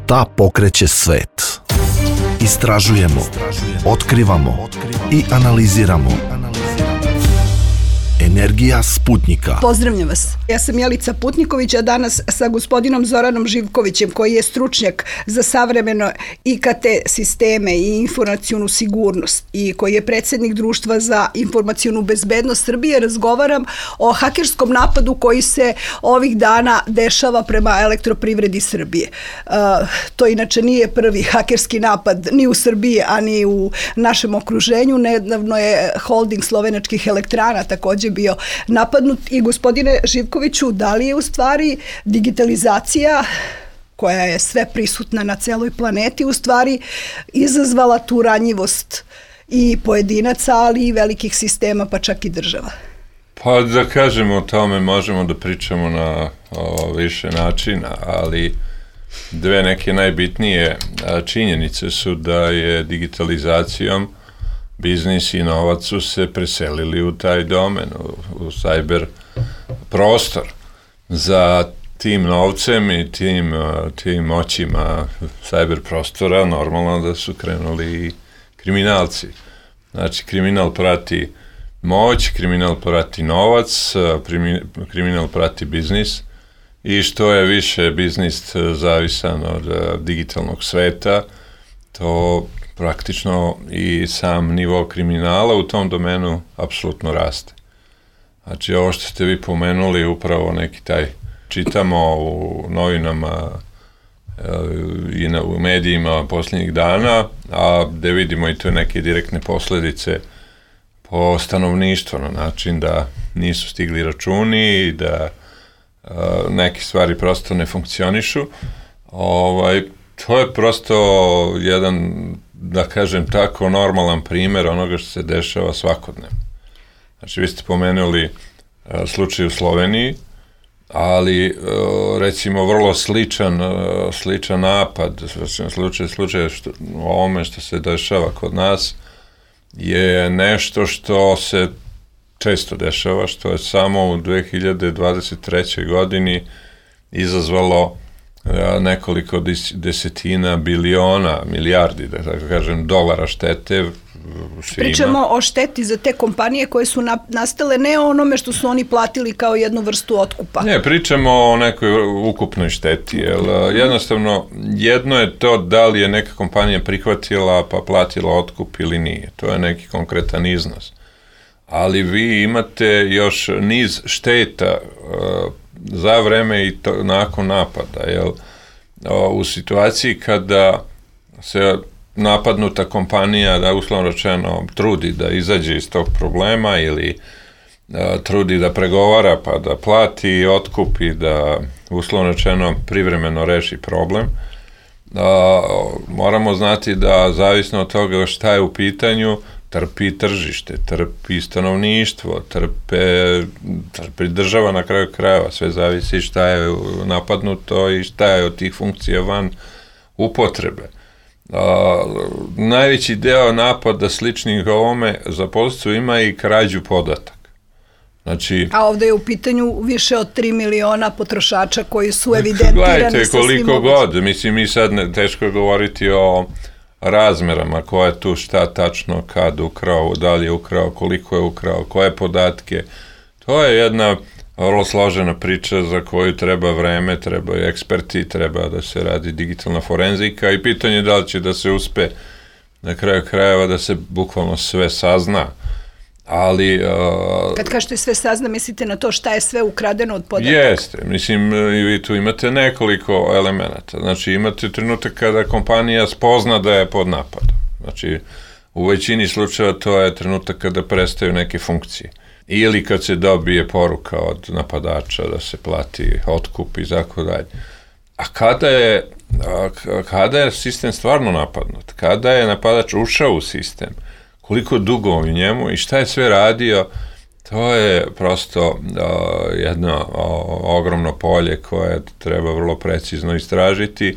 Šta pokreće svet? Istražujemo, otkrivamo i analiziramo. Energija Sputnika. Pozdravljam vas. Ja sam Jelica Putniković, a danas sa gospodinom Zoranom Živkovićem, koji je stručnjak za savremeno IKT sisteme i informacionu sigurnost i koji je predsjednik Društva za informacionu bezbednost Srbije. Razgovaram o hakerskom napadu koji se ovih dana dešava prema Elektroprivredi Srbije. To inače nije prvi hakerski napad ni u Srbiji, a ni u našem okruženju. Nedavno je holding slovenačkih elektrana također bio napadnut. I gospodine Živkoviću, da li je u stvari digitalizacija, koja je sve prisutna na celoj planeti, u stvari izazvala tu ranjivost i pojedinaca, ali i velikih sistema, pa čak i država? Pa da kažemo o tome možemo da pričamo na više načina, ali dve neke najbitnije činjenice su da je digitalizacijom biznis i novac su se preselili u taj domen, u cyber prostor. Za tim novcem i tim moćima cyber prostora normalno da su krenuli i kriminalci. Znači, kriminal prati moć, kriminal prati novac, kriminal prati biznis i što je više biznis zavisan od digitalnog sveta, to praktično i sam nivo kriminala u tom domenu apsolutno raste. Znači, ovo što ste vi pomenuli, upravo neki taj, čitamo u novinama i u medijima posljednjih dana, a da vidimo i to neke direktne posledice po stanovništvo, na način da nisu stigli računi i da neke stvari prosto ne funkcionišu. To je prosto jedan, da kažem tako, normalan primjer onoga što se dešava svakodnevno. Znači, vi ste pomenuli slučaj u Sloveniji, ali recimo vrlo sličan napad, slučaj o ovome što se dešava kod nas, je nešto što se često dešava, što je samo u 2023. godini izazvalo nekoliko desetina biliona, milijardi, da tako kažem, dolara štete. Pričamo o šteti za te kompanije koje su nastale, ne o onome što su oni platili kao jednu vrstu otkupa. Ne, pričamo o nekoj ukupnoj šteti, jer jednostavno jedno je to da li je neka kompanija prihvatila pa platila otkup ili nije. To je neki konkretan iznos. Ali vi imate još niz šteta za vreme i nakon napada, jer u situaciji kada se napadnuta kompanija, da uslovno rečeno trudi da izađe iz tog problema ili trudi da pregovara pa da plati otkup i da uslovno rečeno privremeno reši problem, moramo znati da zavisno od toga šta je u pitanju, trpi tržište, trpi stanovništvo, trpi država na kraju krajeva, sve zavisi šta je napadnuto i šta je od tih funkcija van upotrebe. Najveći deo napada sličnih ovome za posljedicu ima i krađu podataka. Znači, a ovdje je u pitanju više od 3 miliona potrošača koji su evidentirani. Gledajte, koliko god, mislim, mi sad teško govoriti o razmerama, ko je tu šta tačno, kad ukrao, da li je ukrao, koliko je ukrao, koje podatke. To je jedna vrlo složena priča za koju treba vreme, trebaju eksperti, treba da se radi digitalna forenzika i pitanje je da li će da se uspe na kraju krajeva da se bukvalno sve sazna. Ali kad kažete sve sazna, mislite na to šta je sve ukradeno od podataka? Jeste, mislim, vi tu imate nekoliko elemenata. Znači, imate trenutak kada kompanija spozna da je pod napadom. Znači, u većini slučajeva to je trenutak kada prestaju neke funkcije. Ili kad se dobije poruka od napadača da se plati otkup i tako dalje. A kada je sistem stvarno napadnut? Kada je napadač ušao u sistem? Koliko dugo u njemu i šta je sve radio? To je prosto jedno ogromno polje koje treba vrlo precizno istražiti.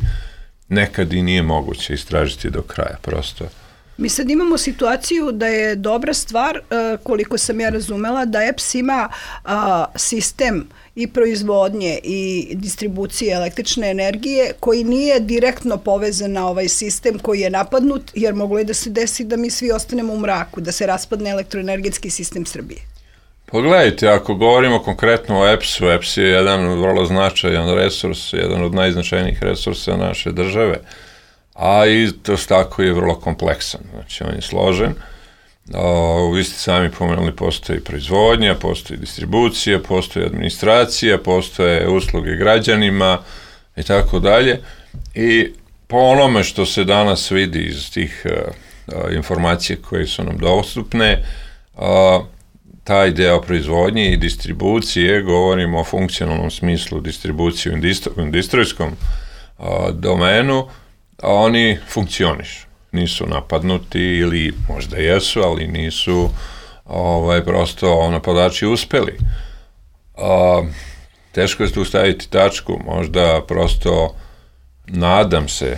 Nekad i nije moguće istražiti do kraja, prosto. Mi sad imamo situaciju da je dobra stvar, koliko sam ja razumela, da EPS ima sistem i proizvodnje i distribucije električne energije koji nije direktno povezan na ovaj sistem koji je napadnut, jer moglo je da se desi da mi svi ostanemo u mraku, da se raspadne elektroenergetski sistem Srbije. Pogledajte, ako govorimo konkretno o EPS-u, EPS je jedan vrlo značajan resurs, jedan od najznačajnijih resursa naše države, a i to tako je vrlo kompleksan, znači on je složen. Vi ste sami pomenuli, postoji proizvodnja, postoji distribucija, postoji administracija, postoje usluge građanima i tako dalje. I po onome što se danas vidi iz tih informacija koje su nam dostupne, taj deo proizvodnje i distribucije, govorimo o funkcionalnom smislu distribuciju u industrijskom domenu, oni funkcionišu. Nisu napadnuti ili možda jesu, ali nisu prosto napadači uspeli. Teško je tu staviti tačku, možda prosto nadam se,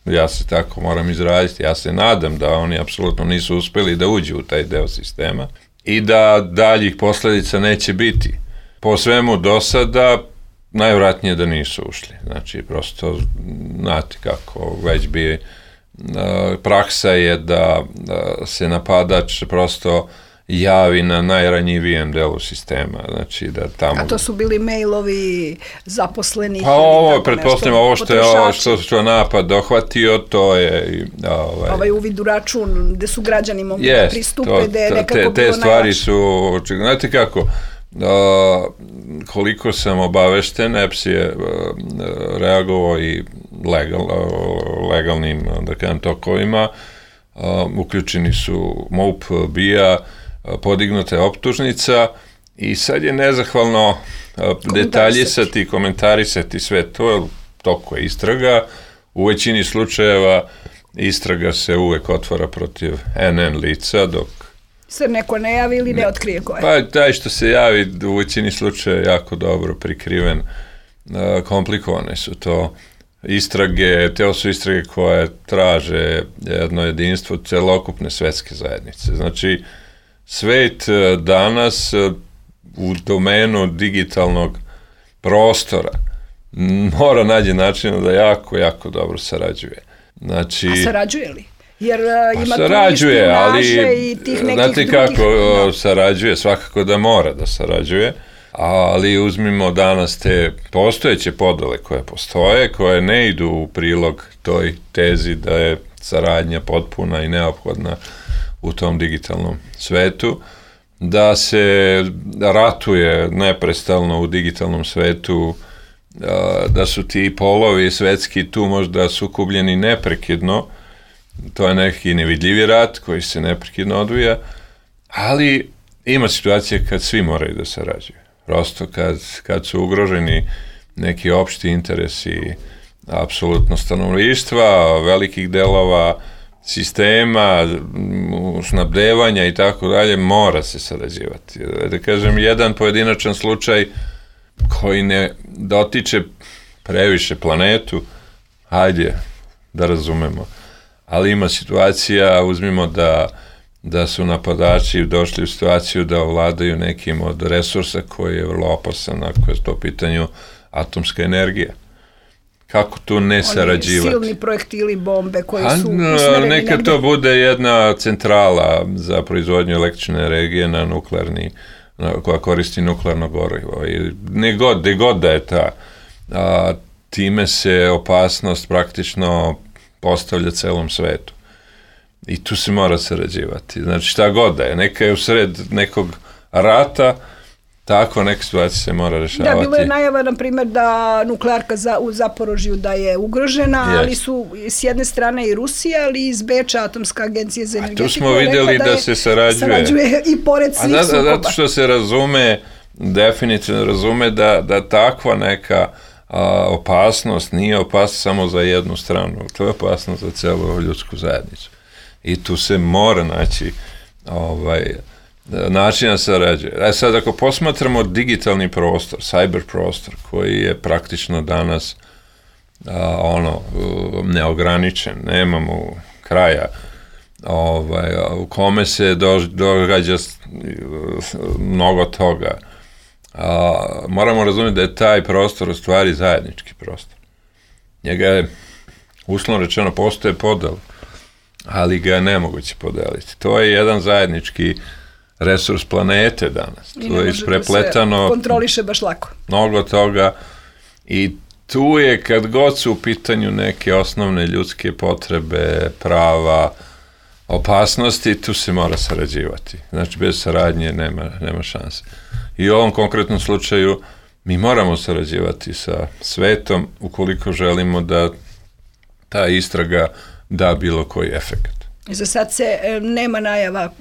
ja se tako moram izraziti, ja se nadam da oni apsolutno nisu uspeli da uđu u taj deo sistema i da daljih posledica neće biti. Po svemu do sada, najvratnije da nisu ušli. Znači, prosto, znate kako, već bi praksa je da se napadač prosto javi na najranjivijem delu sistema. Znači, da tamo... A to su bili mailovi zaposlenih? Pa ovo, pretpostavljamo, ovo što napad dohvatio, to je... Ovaj uvid u račun, gde su građani mogli da pristupe, gde je nekako bilo najlakše. Te stvari su... Znate kako, koliko sam obavešten, EPS je reagovao i legalnim, da kažem, tokovima, uključeni su MUP, BIA, podignuta je optužnica i sad je nezahvalno detaljisati, komentarisati sve to, toko je istraga. U većini slučajeva istraga se uvek otvara protiv NN lica, dok se neko ne javi ili ne otkrije ko je. Pa taj što se javi u većini slučaja jako dobro prikriven, komplikovane su to istrage, te su istrage koje traže jedno jedinstvo celokupne svetske zajednice. Znači, svet danas u domenu digitalnog prostora mora naći način da jako dobro sarađuje. Znači, a sarađuje li? Jer ima tu špijunaže i tih nekih znate kako sarađuje, svakako da mora da sarađuje, ali uzmimo danas te postojeće podele koje postoje, koje ne idu u prilog toj tezi da je saradnja potpuna i neophodna u tom digitalnom svetu, da se ratuje neprestalno u digitalnom svetu, da su ti polovi svetski tu možda sukobljeni neprekidno. To je neki nevidljivi rat koji se neprekidno odvija, ali ima situacije kad svi moraju da sarađuju. Prosto kad su ugroženi neki opšti interesi apsolutno stanovništva, velikih delova sistema, snabdevanja i tako dalje, mora se sarađivati. Da kažem, jedan pojedinačan slučaj koji ne dotiče previše planetu, hajde da razumemo. Ali ima situacija, uzmimo da su napadači došli u situaciju da ovladaju nekim od resursa koji je vrlo opasan, ako je to u pitanju atomska energija. Kako tu ne sarađivati? Silni projektili, bombe koji su usmereni neka negde. To bude jedna centrala za proizvodnju električne energije na nuklearni, koja koristi nuklearno gorivo. Gde god da je ta, time se opasnost praktično postavlja celom svetu. I tu se mora sarađivati. Znači, šta god da je. Neka je u sred nekog rata, tako neke situacije se mora rešavati. Da, bilo je najava, na primjer, da nuklearka u Zaporožju da je ugrožena, ali su s jedne strane i Rusija, ali i iz Beča, Atomska agencija za energetiku. Tu smo vidjeli da se sarađuje i pored svih sukoba. Zato što se razume, definitivno razume da takva neka opasnost nije opasnost samo za jednu stranu, to je opasnost za celu ljudsku zajednicu. I tu se mora naći načina sarađuje. Sad, ako posmatramo digitalni prostor, cyber prostor, koji je praktično danas neograničen, nemamo kraja, u kome se događa mnogo toga. Moramo razumjeti da je taj prostor u stvari zajednički prostor. Njega je, uslovno rečeno, postoje podel, ali ga je nemoguće podeliti. To je jedan zajednički resurs planete danas. I to je isprepletano. Da se kontroliše baš lako. Mnogo toga. I tu je, kad god su u pitanju neke osnovne ljudske potrebe, prava, opasnosti, tu se mora sarađivati. Znači, bez saradnje nema šanse. I u ovom konkretnom slučaju mi moramo sarađivati sa svetom ukoliko želimo da ta istraga da bilo koji efekt. Za sad se nema najava,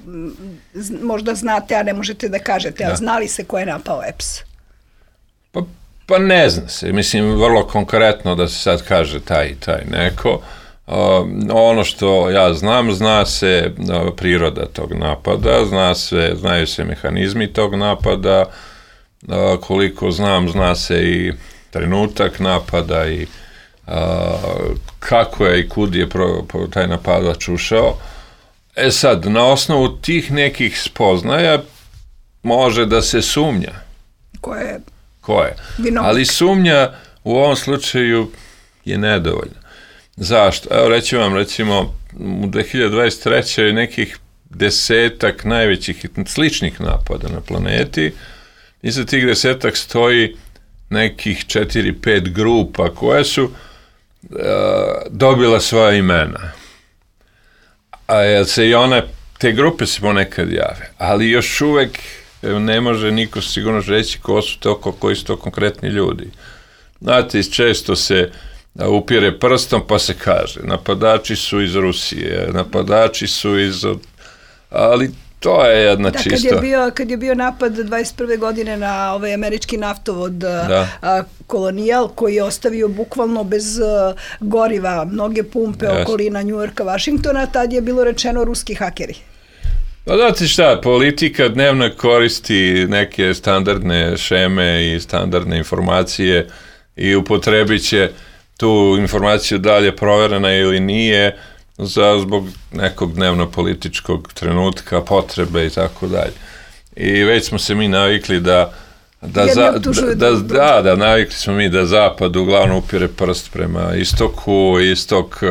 možda znate, a ne možete da kažete, a znali se ko je napao EPS? Pa ne zna se. Mislim, vrlo konkretno da se sad kaže taj neko. Ono što ja znam, zna se priroda tog napada, znaju se mehanizmi tog napada, koliko znam, zna se i trenutak napada i kako je i kud je taj napadač ušao. Sad, na osnovu tih nekih spoznaja može da se sumnja. Ko je? Ali sumnja u ovom slučaju je nedovoljna. Zašto? Evo reći vam, recimo, u 2023. nekih 10 najvećih sličnih napada na planeti. Iza tih 10 stoji nekih 4-5 grupa koje su dobila svoja imena. A se i te grupe se ponekad jave, ali još uvek ne može niko sigurno reći koji su to konkretni ljudi. Znate, često se upire prstom pa se kaže, napadači su iz Rusije, napadači su ali to je jedna čista... Kad je bio napad 21. godine na ovaj američki naftovod Kolonijal, koji je ostavio bukvalno bez goriva mnoge pumpe okolina Njujorka, Vašingtona, tad je bilo rečeno ruski hakeri. Pa znate šta, politika dnevno koristi neke standardne šeme i standardne informacije i upotrebit će tu informaciju dalje proverena ili nije zbog nekog dnevno-političkog trenutka, potrebe i tako dalje. I već smo se mi navikli navikli smo mi da Zapad uglavnom upire prst prema istoku, istok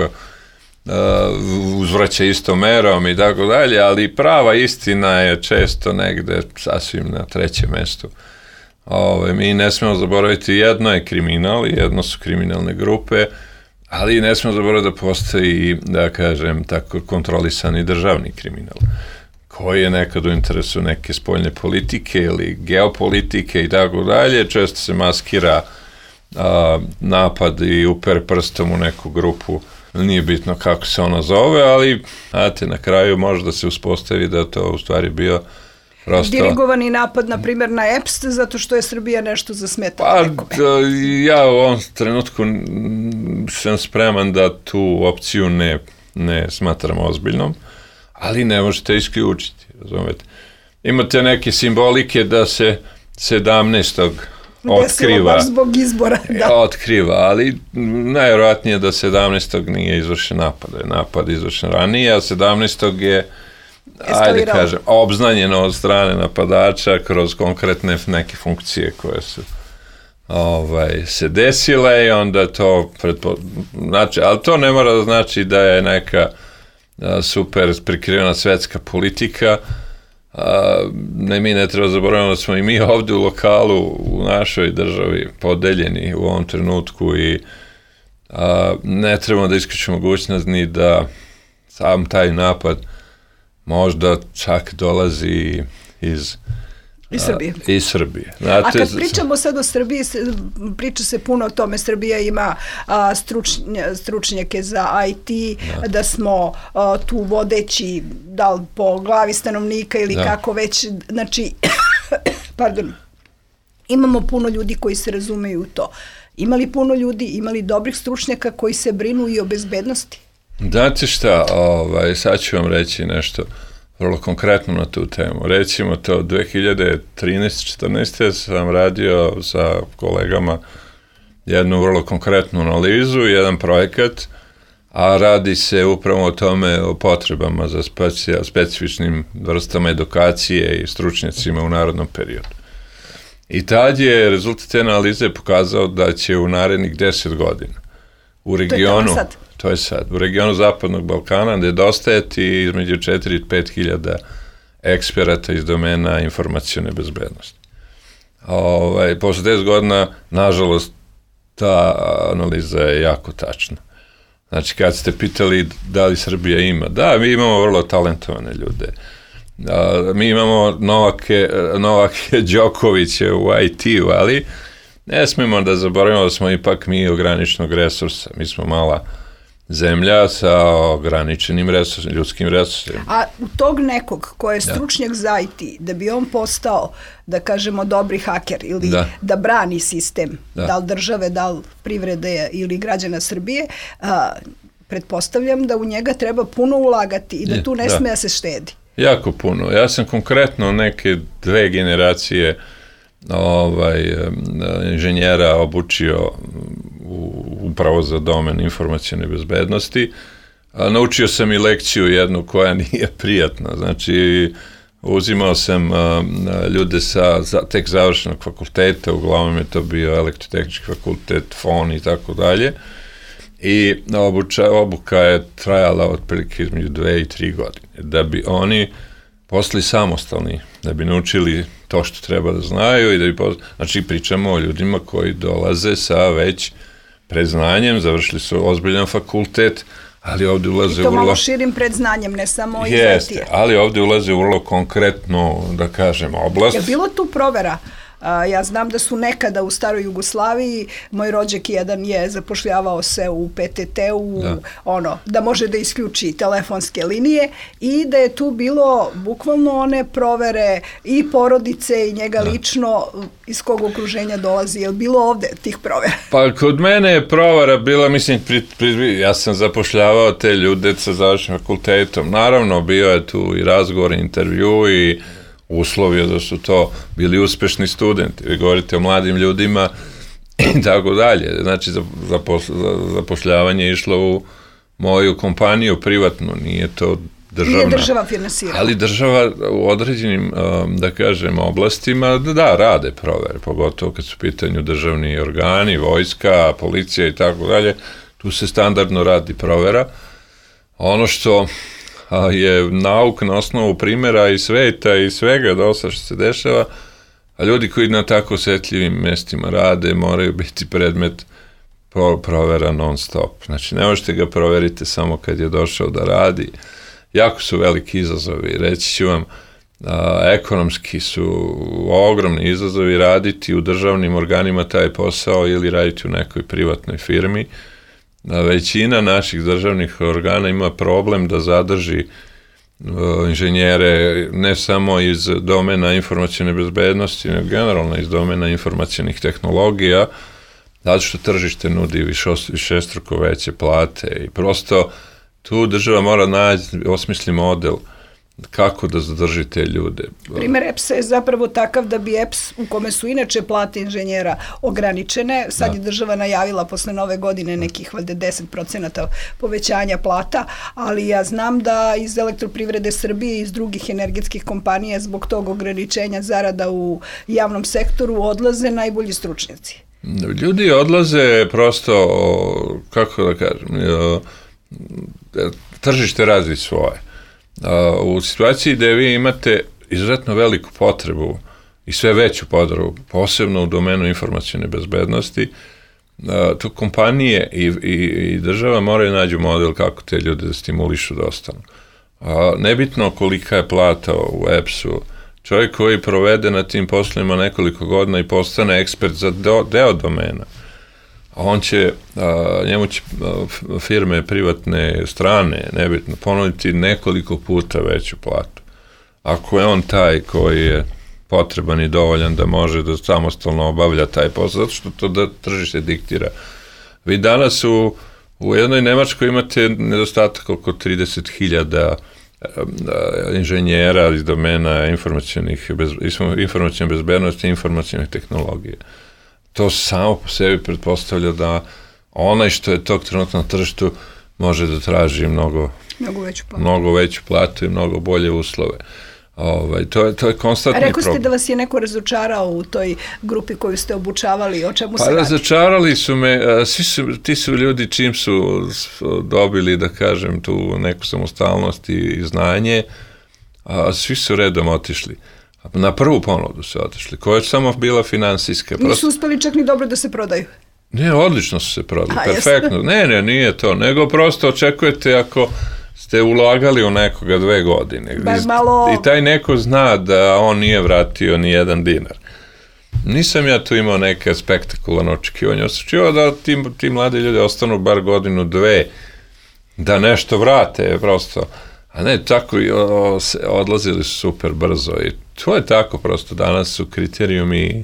uzvraća istom merom i tako dalje, ali prava istina je često negde sasvim na trećem mestu. Mi ne smemo zaboraviti, jedno je kriminal, jedno su kriminalne grupe, ali ne smemo zaboraviti da postoji, da kažem, tako kontrolisani državni kriminal, koji je nekad u interesu neke spoljne politike ili geopolitike i tako dalje. Često se maskira napad i upere prstom u neku grupu, nije bitno kako se ona zove, ali znate, na kraju može da se uspostavi da to u stvari bio dirigovani napad, na primjer, na EPS, zato što je Srbija nešto zasmetala nekome. Ja u ovom trenutku sam spreman da tu opciju ne smatram ozbiljnom, ali ne možete isključiti, razumete. Imate neke simbolike da se 17. otkriva. Baš zbog izbora, da. Otkriva, ali najvjerojatnije da 17. nije izvršen napad. Napad izvršen ranije, a 17. je obznanjeno od strane napadača kroz konkretne neke funkcije koje su se desile i onda to znači, ali to ne mora da znači da je neka super prikrivena svetska politika. Mi ne treba zaboraviti da smo i mi ovdje u lokalu u našoj državi podeljeni u ovom trenutku i ne trebamo da isključimo mogućnost ni da sam taj napad možda čak dolazi iz Srbije. A kad pričamo sad o Srbiji, priča se puno o tome, Srbija ima stručnjake za IT, da smo tu vodeći, da li po glavi stanovnika ili kako već, znači, imamo puno ljudi koji se razumeju u to. Imali puno ljudi, imali dobrih stručnjaka koji se brinu i o bezbednosti? Znate šta, sad ću vam reći nešto vrlo konkretno na tu temu. Recimo to 2013-14. sam radio sa kolegama jednu vrlo konkretnu analizu, jedan projekat, a radi se upravo o tome, o potrebama za specifičnim vrstama edukacije i stručnjacima u narodnom periodu. I tad je rezultat te analize pokazao da će u narednih 10 godina u regionu, to je sad, u regionu Zapadnog Balkana nedostajati između 4 i 5 hiljada eksperata iz domena informacione bezbednosti. Posle 10 godina, nažalost, ta analiza je jako tačna. Znači, kad ste pitali da li Srbija ima, da, mi imamo vrlo talentovane ljude. Mi imamo Novake Đokoviće u IT-u, ali ne smemo da zaboravimo da smo ipak mi ograničenog resursa. Mi smo mala zemlja sa ograničenim ljudskim resursima. A u tog nekog ko je stručnjak za IT, da bi on postao, da kažemo, dobri haker ili da brani sistem, da li države, da li privrede ili građana Srbije, pretpostavljam da u njega treba puno ulagati i da tu ne sme da se štedi. Jako puno. Ja sam konkretno neke 2 generacije inženjera obučio upravo za domen informacione bezbednosti. Naučio sam i lekciju jednu koja nije prijatna. Znači, uzimao sam ljude sa tek završenog fakulteta, uglavnom je to bio elektrotehnički fakultet, FON i tako dalje. I obuka je trajala otprilike između 2 i 3 godine. Da bi oni postali samostalni, da bi naučili to što treba da znaju i da bi znači pričamo o ljudima koji dolaze sa već predznanjem, završili su ozbiljan fakultet, ali ovdje ulaze i to malo širim predznanjem, ne samo iz IT-a. Jeste, ali ovdje ulaze u vrlo konkretnu, da kažem, oblast. Je bilo tu provera? Ja znam da su nekada u staroj Jugoslaviji, moj rođak jedan je zapošljavao se u PTT-u, da može da isključi telefonske linije i da je tu bilo bukvalno one provere i porodice i njega lično iz kog okruženja dolazi. Je li bilo ovde tih provera? Pa kod mene je provera bila, mislim, ja sam zapošljavao te ljude sa završenim fakultetom. Naravno, bio je tu i razgovor, intervju i uslovio da su to bili uspešni studenti. Vi govorite o mladim ljudima i tako dalje. Znači, zapošljavanje je išlo u moju kompaniju privatnu, nije to državna. Nije država finansirala. Ali država u određenim, da kažem, oblastima, rade provere, pogotovo kad su u pitanju državni organi, vojska, policija i tako dalje. Tu se standardno radi provera. Ono što je nauk na osnovu primjera i sveta i svega dosta što se dešava, a ljudi koji na tako osjetljivim mestima rade moraju biti predmet provera non stop. Znači, ne možete ga proveriti samo kad je došao da radi. Jako su veliki izazovi. Reći ću vam, ekonomski su ogromni izazovi raditi u državnim organima taj posao ili raditi u nekoj privatnoj firmi. Većina naših državnih organa ima problem da zadrži inženjere ne samo iz domena informacione bezbednosti, nego generalno iz domena informacionih tehnologija, zato što tržište nudi višestruko veće plate i prosto tu država mora naći, osmisli model kako da zadrži te ljude. Primer EPS-a je zapravo takav da bi EPS, u kome su inače plate inženjera ograničene, sad je država najavila posle nove godine nekih valjda 10% povećanja plata, ali ja znam da iz Elektroprivrede Srbije i iz drugih energetskih kompanija zbog tog ograničenja zarada u javnom sektoru odlaze najbolji stručnjaci. Ljudi odlaze prosto, kako da kažem, tržište radi svoje. U situaciji gde vi imate izuzetno veliku potrebu i sve veću potrebu, posebno u domenu informacione bezbednosti, tu kompanije i država moraju nađu model kako te ljude da stimulišu da ostanu. Nebitno kolika je plata u EPS-u, čovjek koji provede na tim poslovima nekoliko godina i postane ekspert za deo domena, njemu će firme privatne strane, nebitno, ponuditi nekoliko puta veću platu. Ako je on taj koji je potreban i dovoljan da može da samostalno obavlja taj posao, zato što to da tržište diktira. Vi danas u jednoj Nemačkoj imate nedostatak oko 30.000 inženjera iz domena informacione bezbednosti i informacione tehnologije. To samo po sebi pretpostavlja da onaj što je tog trenutka na tržištu može da traži mnogo veću platu i mnogo bolje uslove. To je konstantni problem. Rekao ste da vas je neko razočarao u toj grupi koju ste obučavali, o čemu se radi? Razočarali su me, ti su ljudi čim su dobili, da kažem, tu neku samostalnost i znanje, svi su redom otišli. Na prvu ponudu su otišli, koja je samo bila finansijska. Nisu uspeli čak ni dobro da se prodaju. Ne, odlično su se prodali, perfektno. Ne, nije to, nego prosto očekujete ako ste ulagali u nekoga 2 godine. I taj neko zna da on nije vratio ni jedan dinar. Nisam ja tu imao neke spektakularne očekivanja. Očekivao da ti mladi ljudi ostanu bar 1-2 da nešto vrate, prosto. A ne, tako odlazili su super brzo. I to je tako prosto. Danas su kriterijumi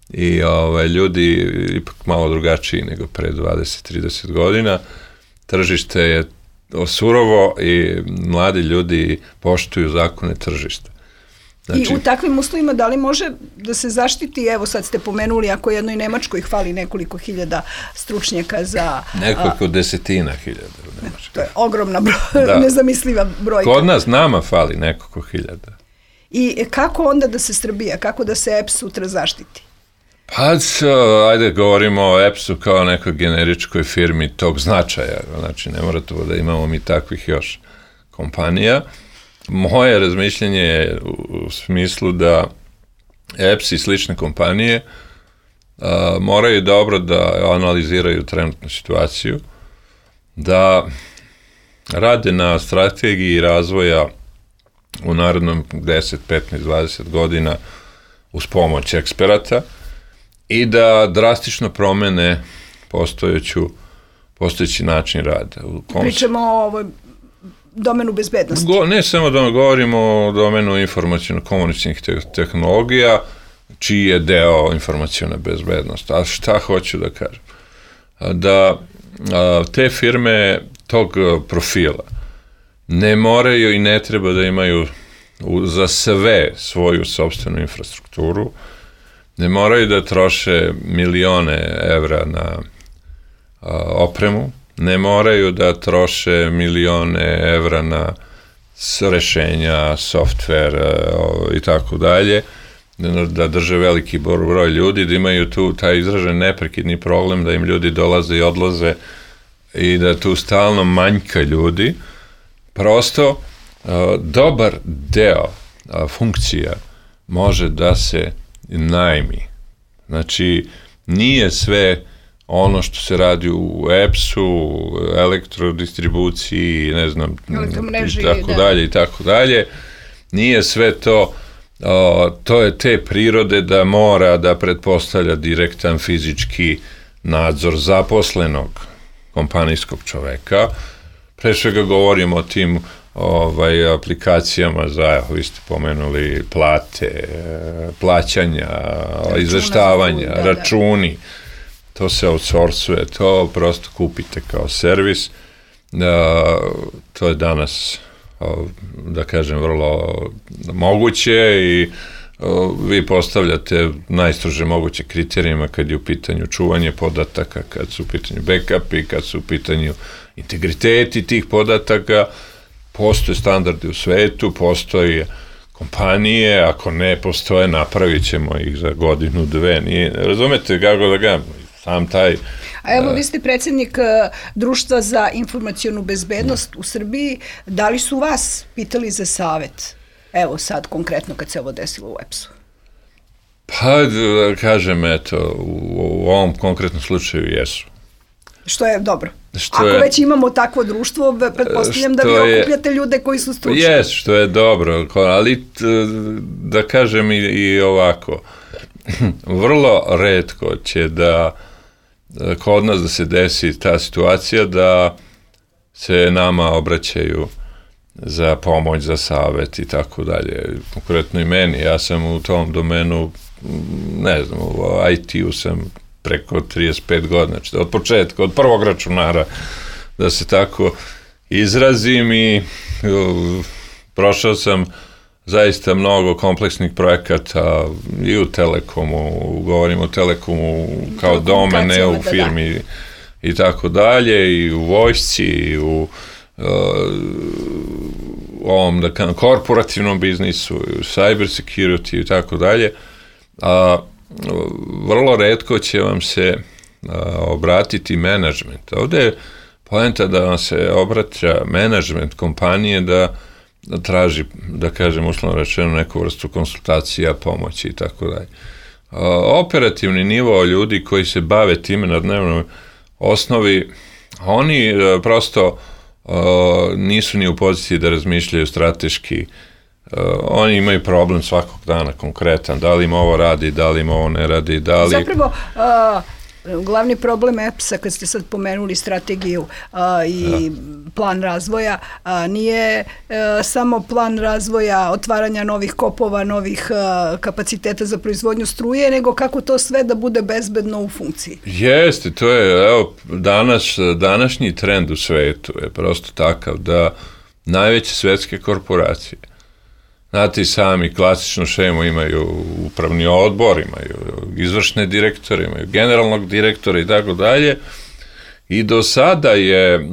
i ljudi ipak malo drugačiji nego pre 20-30 godina. Tržište je surovo i mladi ljudi poštuju zakone tržišta. I u takvim uslovima da li može da se zaštiti, evo sad ste pomenuli, ako jednoj Nemačkoj hvali nekoliko hiljada stručnjaka za... Nekoliko desetina hiljada u Nemačkoj. To je ogromna nezamisliva brojka. Kod nas nama fali nekoliko hiljada. I kako onda da se Srbija, kako da se EPS sutra zaštiti? Pa, ajde govorimo o EPS-u kao nekoj generičkoj firmi tog značaja. Znači, ne mora to da imamo mi takvih još kompanija. Moje razmišljanje je u smislu da EPS i slične kompanije moraju dobro da analiziraju trenutnu situaciju, da rade na strategiji razvoja u narednom 10, 15, 20 godina uz pomoć eksperata i da drastično promene postojeći način rada. Pričamo o ovoj domenu bezbednosti. Ne samo da govorimo o domenu informaciono-komuničnih tehnologija, čiji je deo informaciona bezbednost. A šta hoću da kažem? Da te firme tog profila ne moraju i ne treba da imaju za sve svoju sopstvenu infrastrukturu, ne moraju da troše milione evra na opremu, ne moraju da troše milione evra na rešenja, softver i tako dalje, da drže veliki broj ljudi, da imaju tu taj izražen neprekidni problem da im ljudi dolaze i odlaze i da tu stalno manjka ljudi. Prosto, dobar deo funkcija može da se najmi. Znači, nije sve ono što se radi u EPS-u, elektrodistribuciji, ne znam, i tako dalje, nije sve to, to je te prirode da mora da pretpostavlja direktan fizički nadzor zaposlenog kompanijskog čoveka. Pre svega govorimo o tim aplikacijama za, vi ste pomenuli, plate, plaćanja, izveštavanja, računi. To se outsourcuje, to prosto kupite kao servis. To je danas, da kažem, vrlo moguće i vi postavljate najstrože moguće kriterijima kad je u pitanju čuvanje podataka, kad su u pitanju backupi, kad su u pitanju integriteti tih podataka. Postoje standardi u svetu, postoje kompanije, ako ne postoje, napravit ćemo ih za 1-2. Razumete kako da ga sam taj... A evo, vi ste predsjednik Društva za informacionu bezbednost u Srbiji. Da li su vas pitali za savet? Evo sad, konkretno, kad se ovo desilo u EPS-u. Pa, kažem, eto, u ovom konkretnom slučaju jesu. Što je dobro. Ako već imamo takvo društvo, pretpostavljam da vi okupljate ljude koji su stručni. Jes, što je dobro, ali da kažem i ovako, vrlo retko će da kod nas da se desi ta situacija da se nama obraćaju za pomoć, za savet i tako dalje. Konkretno i meni, ja sam u tom domenu, ne znam, u IT-u sam preko 35 godina, znači od početka, od prvog računara, da se tako izrazim, i prošao sam zaista mnogo kompleksnih projekata i u Telekomu, govorim o Telekomu kao dome, ne u firmi i tako dalje, i u vojsci, i u ovom korporativnom biznisu, u cyber security i tako dalje, a vrlo retko će vam se obratiti menadžment. Ovde je poenta da vam se obraća menadžment kompanije da traži, da kažem uslovno rečeno, neku vrstu konsultacija, pomoći i tako dalje. Operativni nivo ljudi koji se bave time na dnevnoj osnovi, oni prosto nisu ni u poziciji da razmišljaju strateški. Oni imaju problem svakog dana konkretan, da li im ovo radi, da li im ovo ne radi, da li... Zapravo, glavni problem EPS-a, kad ste sad pomenuli strategiju i plan razvoja, nije samo plan razvoja otvaranja novih kopova, novih kapaciteta za proizvodnju struje, nego kako to sve da bude bezbedno u funkciji. Jeste, to je, evo, današnji trend u svetu je prosto takav da najveće svetske korporacije, znate i sami, klasičnu šemu imaju upravni odbor, imaju izvršne direktore, imaju generalnog direktora i tako dalje. I do sada je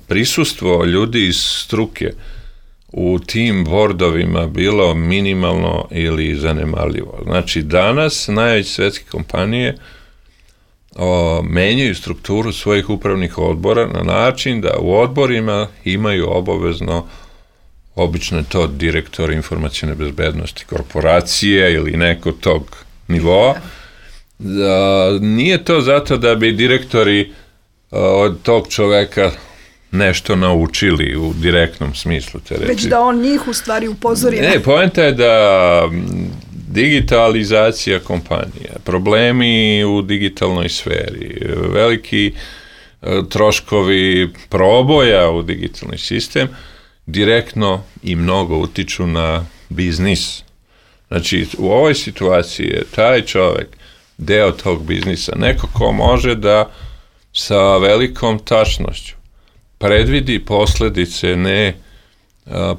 prisustvo ljudi iz struke u tim bordovima bilo minimalno ili zanemarljivo. Znači, danas najveće svetske kompanije menjaju strukturu svojih upravnih odbora na način da u odborima imaju obavezno, obično je to direktor informacijne bezbednosti korporacije ili neko tog nivoa. Nije to zato da bi direktori od tog čoveka nešto naučili u direktnom smislu te reči. Već da on njih u stvari upozori. Ne, poenta je da digitalizacija kompanija, problemi u digitalnoj sferi, veliki troškovi proboja u digitalni sistem direktno i mnogo utiču na biznis. Znači, u ovoj situaciji je taj čovek deo tog biznisa, neko ko može da sa velikom tačnošću predvidi posledice ne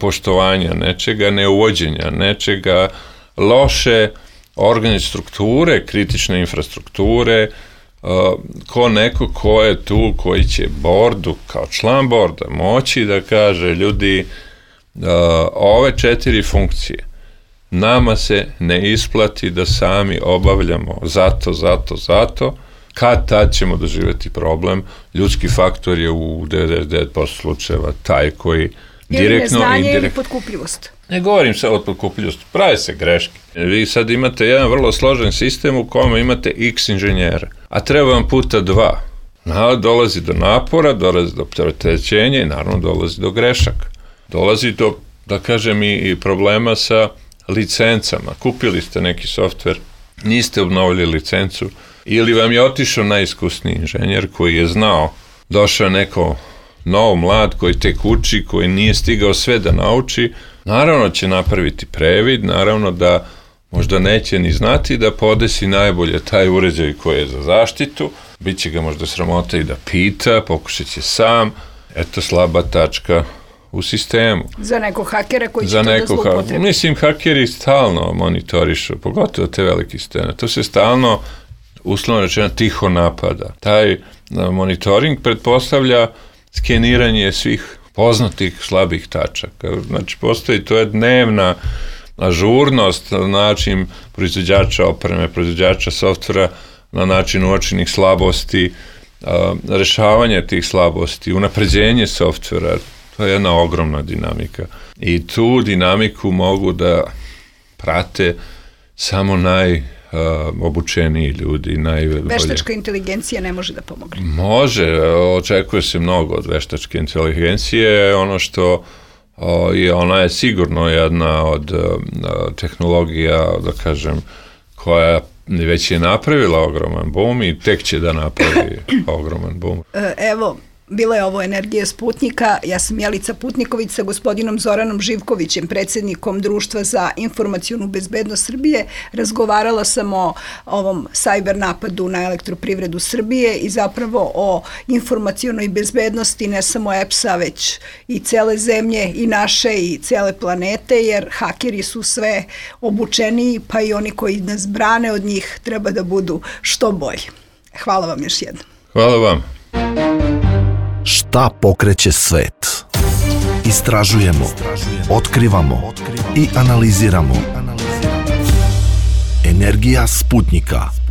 poštovanja nečega, neuvođenja nečega, loše organizacione strukture, kritične infrastrukture, ko neko ko je tu, koji će bordu, kao član borda, moći da kaže, ljudi, ove 4 funkcije nama se ne isplati da sami obavljamo zato, kad tad ćemo doživjeti problem. Ljudski faktor je u 99% slučajeva taj koji direktno... Ili neznanje ili potkupljivost. Ne govorim sad o potkupljivosti, prave se greške. Vi sad imate jedan vrlo složen sistem u kome imate x inženjera, a treba vam puta 2. Dolazi do napora, dolazi do opterećenja i naravno dolazi do grešaka. Dolazi do, da kažem, i problema sa licencama. Kupili ste neki softver, niste obnovili licencu, ili vam je otišao najiskusniji inženjer koji je znao, došao neko nov mlad koji tek uči, koji nije stigao sve da nauči, naravno će napraviti previd, naravno da možda neće ni znati da podesi najbolje taj uređaj koji je za zaštitu, bit će ga možda sramota i da pita, pokušat će sam, eto slaba tačka u sistemu. Za nekog hakera koji će to da zloupotrebi. Mislim, hakeri stalno monitorišu, pogotovo te velike sisteme. To se stalno, uslovno rečeno, tiho napada. Taj monitoring pretpostavlja skeniranje svih poznatih slabih tačaka. Znači, postoji, to je dnevna ažurnost na način proizvođača opreme, proizvođača softvera, na način uočenih slabosti, rešavanje tih slabosti, unapređenje softvera. To je jedna ogromna dinamika. I tu dinamiku mogu da prate samo najobučeniji ljudi, najbolje. Veštačka inteligencija ne može da pomogne. Može, očekuje se mnogo od veštačke inteligencije. Ono što ona je sigurno jedna od tehnologija, da kažem, koja već je napravila ogroman boom i tek će da napravi ogroman boom. Evo, bila je ovo Energija Sputnika. Ja sam Jelica Putniković sa gospodinom Zoranom Živkovićem, predsjednikom Društva za informacijnu bezbednost Srbije. Razgovarala sam o ovom sajber napadu na Elektroprivredu Srbije i zapravo o informacionoj bezbednosti ne samo EPS-a, već i cele zemlje, i naše, i cele planete, jer hakeri su sve obučeniji, pa i oni koji nas brane od njih treba da budu što bolji. Hvala vam još jednom. Hvala vam. Šta pokreće svet? Istražujemo, otkrivamo i analiziramo. Energija Sputnika.